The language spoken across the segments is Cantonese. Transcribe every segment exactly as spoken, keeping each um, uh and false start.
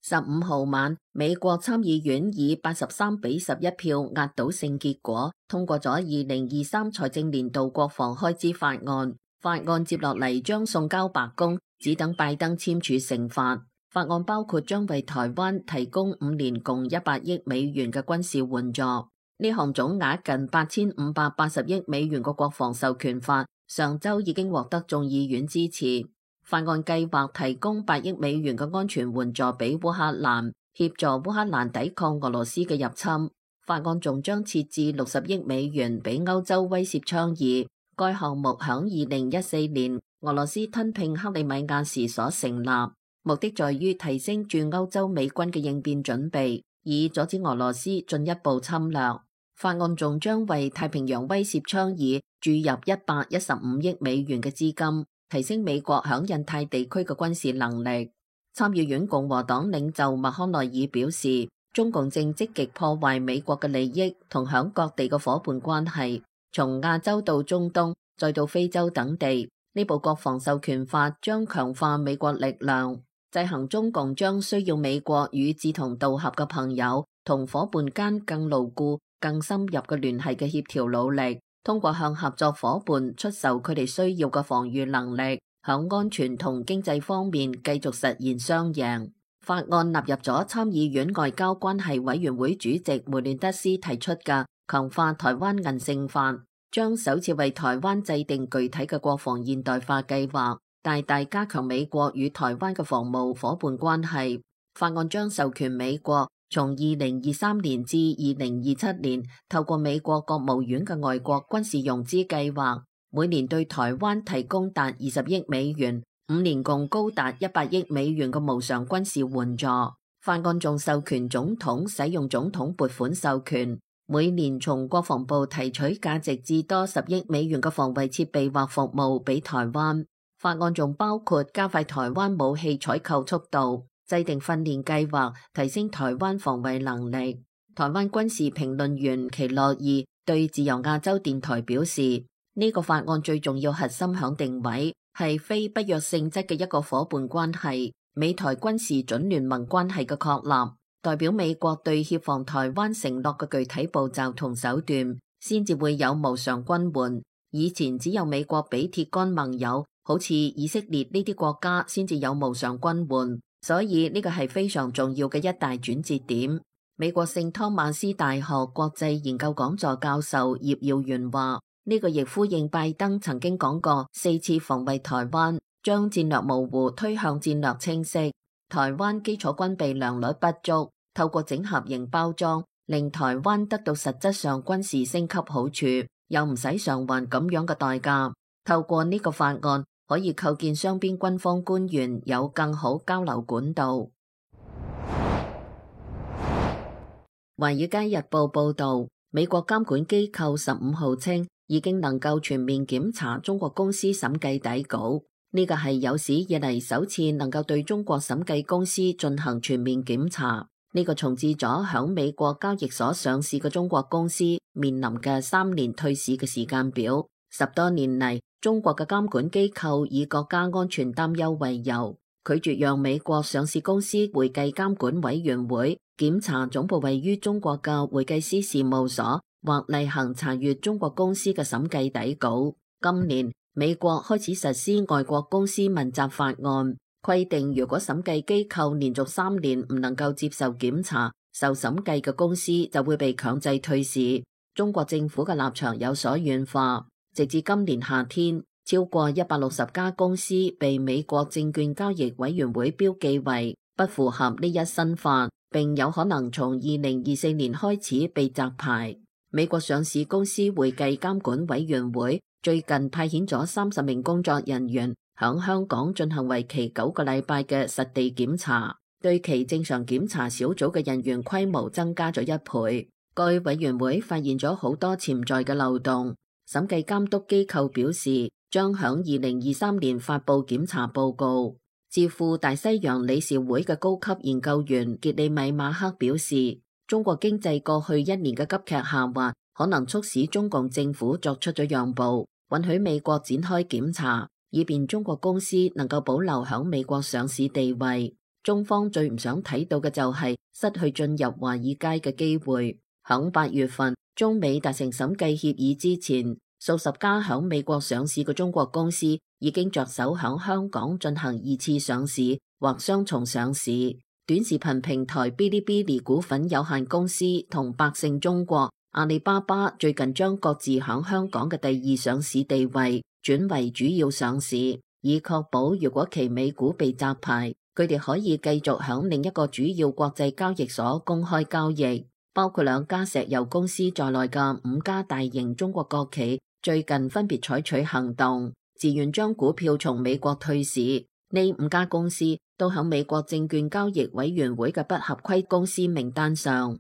十五號晚，美國參議院以八十三比十一票壓倒性結果通過咗二零二三財政年度國防開支法案。法案接落嚟將送交白宮，只等拜登簽署成法。法案包括將為台灣提供五年共一百億美元嘅軍事援助。呢項總額近八千五百八十億美元嘅國防授權法，上週已經獲得眾議院支持。法案計劃提供八億美元嘅安全援助俾烏克蘭，協助烏克蘭抵抗俄羅斯嘅入侵。法案仲將設置六十億美元俾歐洲威懾倡議。該項目響二零一四年俄羅斯吞併克里米亞時所成立，目的在於提升駐歐洲美軍嘅應變準備，以阻止俄羅斯進一步侵略。法案仲將為太平洋威懾倡議注入一百一十五億美元嘅資金，提升美國響印太地區嘅軍事能力。參議院共和黨領袖麥康奈爾表示，中共正積極破壞美國嘅利益同響各地嘅夥伴關係，從亞洲到中東，再到非洲等地。呢部國防授權法將強化美國力量，制衡中共將需要美國與志同道合嘅朋友同夥伴間更牢固、更深入嘅聯繫嘅協調努力，通過向合作夥伴出售佢哋需要嘅防禦能力，響安全同經濟方面繼續實現雙贏。法案納入咗參議院外交關係委員會主席梅亂德斯提出嘅強化台灣韌性法，將首次為台灣制定具體嘅國防現代化計劃，大大加強美國與台灣嘅防務夥伴關係。法案將授權美國從二零二三年至二零二七年，透過美國國務院嘅外國軍事融資計劃，每年對台灣提供達二十億美元，五年共高達一百億美元嘅無償軍事援助。法案仲授權總統使用總統撥款授權，每年從國防部提取價值至多十億美元嘅防衛設備或服務俾台灣。法案仲包括加快台灣武器採購速度，制定訓練計劃，提升台灣防衛能力。台灣軍事評論員奇洛爾對自由亞洲電台表示，呢個法案最重要核心響定位係非不約性質嘅一個夥伴關係，美台軍事準聯盟關係嘅確立，代表美國對協防台灣承諾嘅具體步驟同手段，先至會有無償軍援。以前只有美國俾鐵桿盟友，好似以色列呢啲國家先至有無償軍援，所以呢個係非常重要嘅一大轉折點。美國聖湯馬斯大學國際研究講座教授葉耀元話，呢個亦呼應拜登曾經講過四次防衛台灣，將戰略模糊推向戰略清晰。台灣基礎軍備良率不足，透過整合型包裝，令台灣得到實質上軍事升級好處，又唔使償還咁樣嘅代價。透過呢個法案，可以構建雙邊軍方官員有更好交流管道。華爾街日報報道，美國監管機構十五號稱，已經能夠全面檢查中國公司審計底稿，呢個係有史以嚟首次能夠對中國審計公司進行全面檢查。呢個重置咗響美國交易所上市嘅中國公司面臨嘅三年退市嘅時間表。十多年嚟，中國嘅監管機構以國家安全擔憂為由，拒絕讓美國上市公司會計監管委員會檢查總部位於中國嘅會計師事務所，或例行查閱中國公司嘅審計底稿。今年美國開始實施外國公司問責法案，規定如果審計機構連續三年唔能夠接受檢查，受審計嘅公司就會被強制退市。中國政府嘅立場有所軟化，直至今年夏天，超過一百六十家公司被美國證券交易委員會標記為不符合呢一新法，並有可能從二零二四年開始被摘牌。美國上市公司會計監管委員會最近派遣咗三十名工作人員響香港進行為期九個禮拜嘅實地檢查，對其正常檢查小組嘅人員規模增加咗一倍。該委員會發現咗好多潛在嘅漏洞。審計監督機構表示，將響二零二三年發布檢查報告。智庫大西洋理事會嘅高級研究員傑里米馬克表示，中國經濟過去一年嘅急劇下滑，可能促使中共政府作出咗讓步，允許美國展開檢查，以便中國公司能夠保留響美國上市地位。中方最唔想睇到嘅就係失去進入華爾街嘅機會。響八月份，中美達成審計協議之前，數十家響美國上市嘅中國公司已經着手響香港進行二次上市或雙重上市。短視頻平台嗶哩嗶哩股份有限公司同百勝中國、阿里巴巴最近將各自響香港嘅第二上市地位轉為主要上市，以確保如果其美股被摘牌，佢哋可以繼續響另一個主要國際交易所公開交易。包括兩家石油公司在內嘅五家大型中國國企最近分別採取行動，自願將股票從美國退市。呢五家公司都響美國證券交易委員會嘅不合規公司名單上。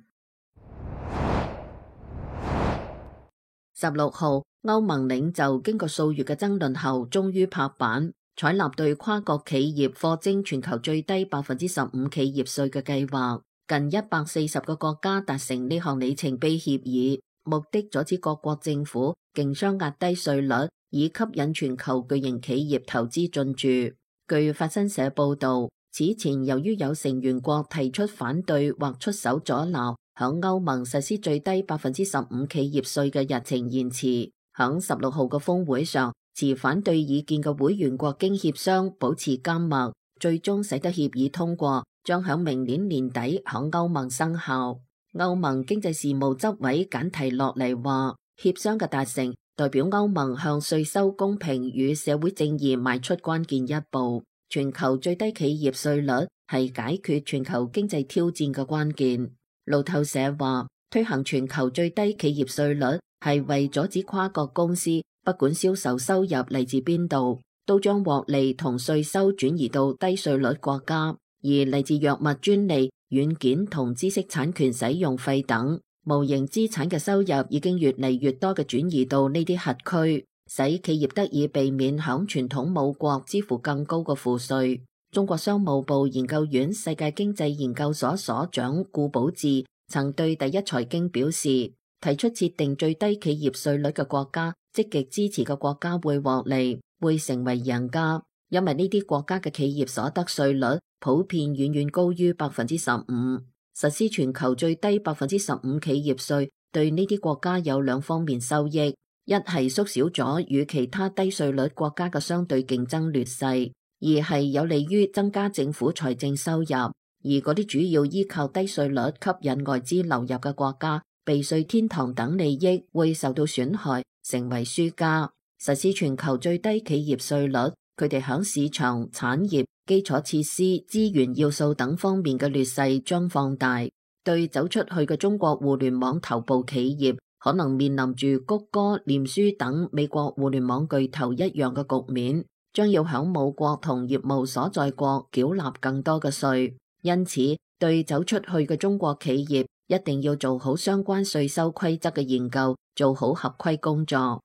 十六號，歐盟領袖經過數月嘅爭論後，終於拍板採納對跨國企業課徵全球最低百分之十五企業稅嘅計劃。近一百四十個國家達成呢項里程碑協議，目的阻止各國政府競相壓低稅率，以吸引全球巨型企業投資進駐。據法新社報導，此前由於有成員國提出反對或出手阻撓，響歐盟實施最低百分之十五企業稅嘅日程延遲。響十六號嘅峰會上，持反對意見嘅會員國經協商保持緘默，最終使得協議通過，將響明年年底響歐盟生效。歐盟經濟事務執委簡提洛尼話，協商嘅達成代表歐盟向稅收公平與社會正義邁出關鍵一步。全球最低企業稅率係解決全球經濟挑戰嘅關鍵。路透社話，推行全球最低企業稅率係為阻止跨國公司不管銷售收入嚟自邊度，都將獲利同稅收轉移到低稅率國家。而嚟自藥物專利、軟件同知識產權使用費等無形資產嘅收入已經越嚟越多嘅轉移到呢啲轄區，使企業得以避免響傳統母國支付更高嘅賦稅。中國商務部研究院世界經濟研究所所長顧寶志曾對第一財經表示，提出設定最低企業稅率嘅國家，積極支持嘅國家會獲利，會成為贏家，因為呢啲國家嘅企業所得稅率普遍遠遠高於百分之十五。實施全球最低百分之十五企業稅，對呢啲國家有兩方面收益：一係縮小咗與其他低稅率國家嘅相對競爭劣勢；二係有利於增加政府財政收入。而嗰啲主要依靠低稅率吸引外資流入嘅國家，避稅天堂等利益會受到損害，成為輸家。實施全球最低企業稅率，佢哋響市場、產業、基礎設施、資源要素等方面嘅劣勢將放大，對走出去嘅中國互聯網頭部企業可能面臨住谷歌、臉書等美國互聯網巨頭一樣嘅局面，將要響母國同業務所在國繳納更多嘅稅。因此，對走出去嘅中國企業一定要做好相關稅收規則嘅研究，做好合規工作。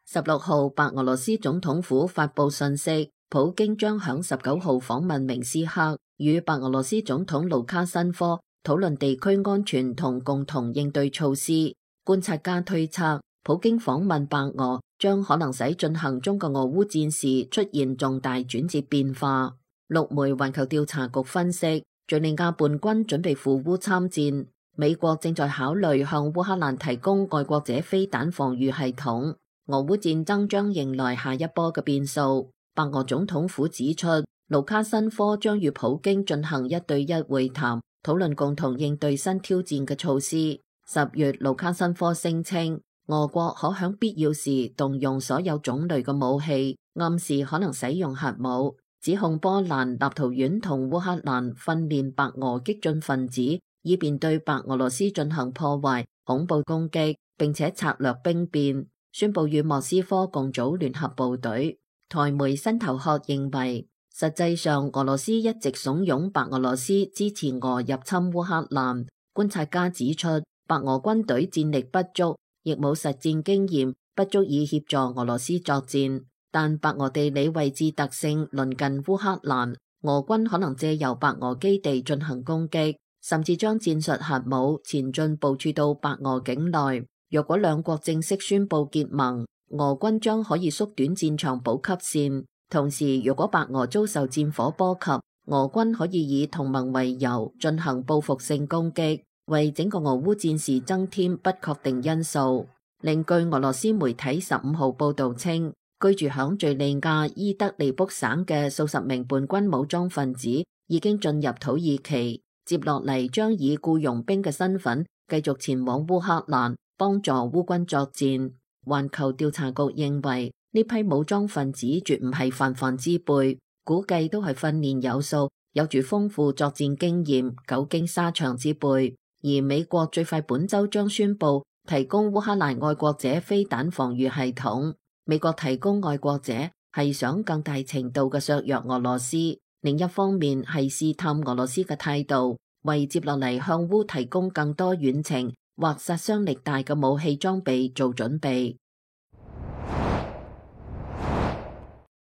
十六號，白俄羅斯總統府發布信息，普京將響十九號訪問明斯克，與白俄羅斯總統盧卡申科討論地區安全同共同應對措施。觀察家推測，普京訪問白俄將可能使進行中國俄烏戰事出現重大轉折變化。陸媒環球調查局分析，敘利亞叛軍準備赴烏參戰，美國正在考慮向烏克蘭提供愛國者飛彈防禦系統。俄烏戰爭將迎來下一波嘅變數。白俄總統府指出，盧卡申科將與普京進行一對一會談，討論共同應對新挑戰嘅措施。十月，盧卡申科聲稱，俄國可喺必要時動用所有種類嘅武器，暗示可能使用核武，指控波蘭、立陶宛同烏克蘭訓練白俄激進分子，以便對白俄羅斯進行破壞、恐怖攻擊，並且策略兵變，宣布與莫斯科共組聯合部隊。台媒新頭殼認為，實際上俄羅斯一直慫恿白俄羅斯支持俄入侵烏克蘭。觀察家指出，白俄軍隊戰力不足，亦冇實戰經驗，不足以協助俄羅斯作戰。但白俄地理位置特性鄰近烏克蘭，俄軍可能借由白俄基地進行攻擊，甚至將戰術核武前進部署到白俄境內。若果兩國正式宣布結盟，俄軍將可以縮短戰場補給線，同時，如果白俄遭受戰火波及，俄軍可以以同盟為由進行報復性攻擊，為整個俄烏戰事增添不確定因素。另據俄羅斯媒體十五號報導稱，居住響敘利亞伊德利卜省嘅數十名叛軍武裝分子已經進入土耳其，接落嚟將以僱傭兵嘅身份繼續前往烏克蘭幫助烏軍作戰。環球調查局認為呢批武裝分子絕唔係泛泛之輩，估計都係訓練有素、有住豐富作戰經驗、久經沙場之輩。而美國最快本週將宣布提供烏克蘭愛國者飛彈防禦系統。美國提供愛國者係想更大程度嘅削弱俄羅斯，另一方面係試探俄羅斯嘅態度，為接落嚟向烏提供更多遠程或殺傷力大嘅武器裝備做準備。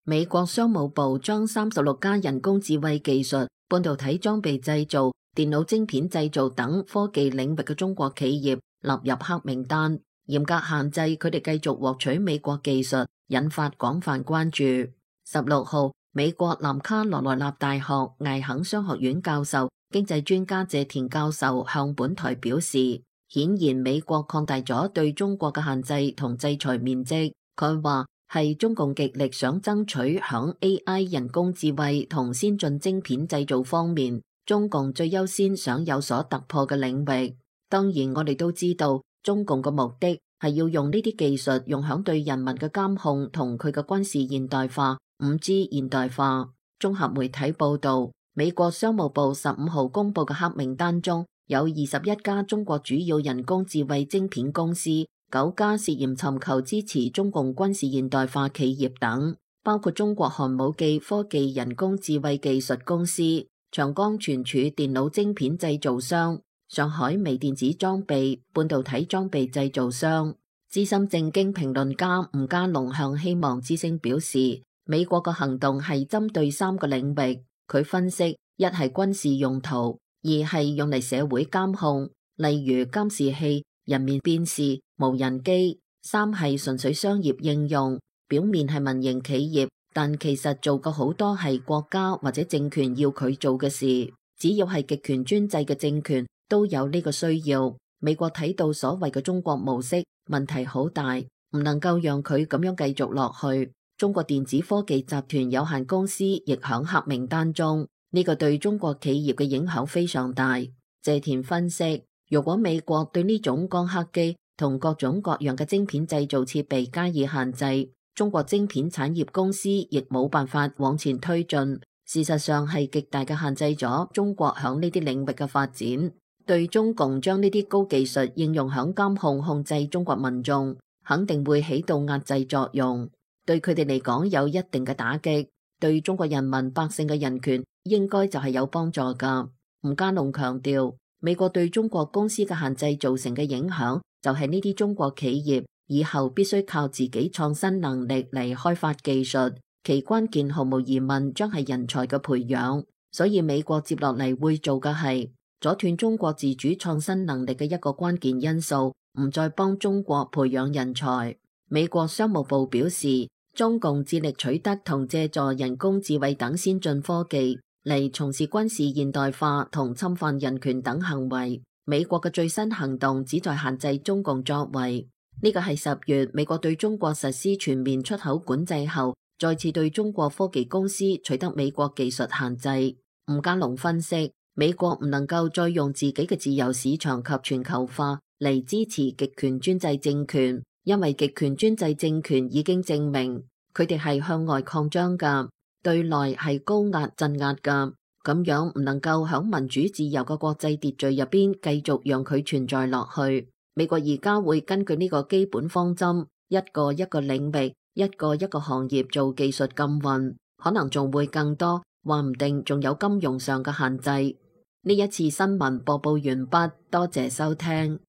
美國商務部將三十六家人工智慧技術、半導體裝備製造、電腦晶片製造等科技領域嘅中國企業納入黑名單，嚴格限制佢哋繼續獲取美國技術，引發廣泛關注。十六號，美國南卡羅來納大學艾肯商學院教授、經濟專家謝田教授向本台表示，顯然美國擴大咗對中國嘅限制同制裁面積。佢話係中共極力想爭取響 A I 人工智慧同先進晶片製造方面，中共最優先想有所突破嘅領域。當然，我哋都知道中共嘅目的係要用呢啲技術用響對人民嘅監控同佢嘅軍事現代化、五 G 現代化。綜合媒體報道，美國商務部十五號公布嘅黑名單中有二十一家中國主要人工智慧晶片公司，九家涉嫌尋求支持中共軍事現代化企業等，包括中國寒武紀科技人工智慧技術公司、長江存儲電腦晶片製造商、上海微電子裝備半導體裝備製造商。資深政經評論家吳家龍向希望之聲表示，美國嘅行動係針對三個領域。佢分析，一係軍事用途，二係用嚟社會監控，例如監視器、人面辨識、無人機；三係純粹商業應用，表面係民營企業，但其實做嘅好多係國家或者政權要佢做嘅事。只要係極權專制嘅政權都有呢個需要。美國睇到所謂嘅中國模式問題好大，唔能夠讓佢咁樣繼續落去。中國電子科技集團有限公司亦響黑名單中，呢個對中國企業嘅影響非常大。謝田分析，如果美國對呢種光刻機同各種各樣嘅晶片製造設備加以限制，中國晶片產業公司亦冇辦法往前推進。事實上係極大嘅限制咗中國響呢啲領域嘅發展，對中共將呢啲高技術應用響監控控制中國民眾，肯定會起到壓制作用，對佢哋嚟講有一定嘅打擊，對中國人民百姓嘅人權應該就係有幫助噶。吳家龍強調，美國對中國公司嘅限制造成嘅影響，就係呢啲中國企業以後必須靠自己創新能力嚟開發技術。其關鍵毫無疑問將係人才嘅培養，所以美國接落嚟會做嘅係阻斷中國自主創新能力嘅一個關鍵因素，唔再幫中國培養人才。美國商務部表示，中共致力取得同借助人工智慧等先進科技嚟從事軍事現代化同侵犯人權等行為。美國嘅最新行動旨在限制中共作為，呢個係十月美國對中國實施全面出口管制後，再次對中國科技公司取得美國技術限制。吳家龍分析，美國唔能夠再用自己嘅自由市場及全球化嚟支持極權專制政權，因為極權專制政權已經證明佢哋係向外擴張㗎，對內係高壓鎮壓㗎，咁樣唔能夠喺民主自由嘅國際秩序入邊繼續讓佢存在落去。美國而家會根據呢個基本方針，一個一個領域，一個一個行業做技術禁運，可能仲會更多，話唔定仲有金融上嘅限制。呢一次新聞播報完畢，多謝收聽。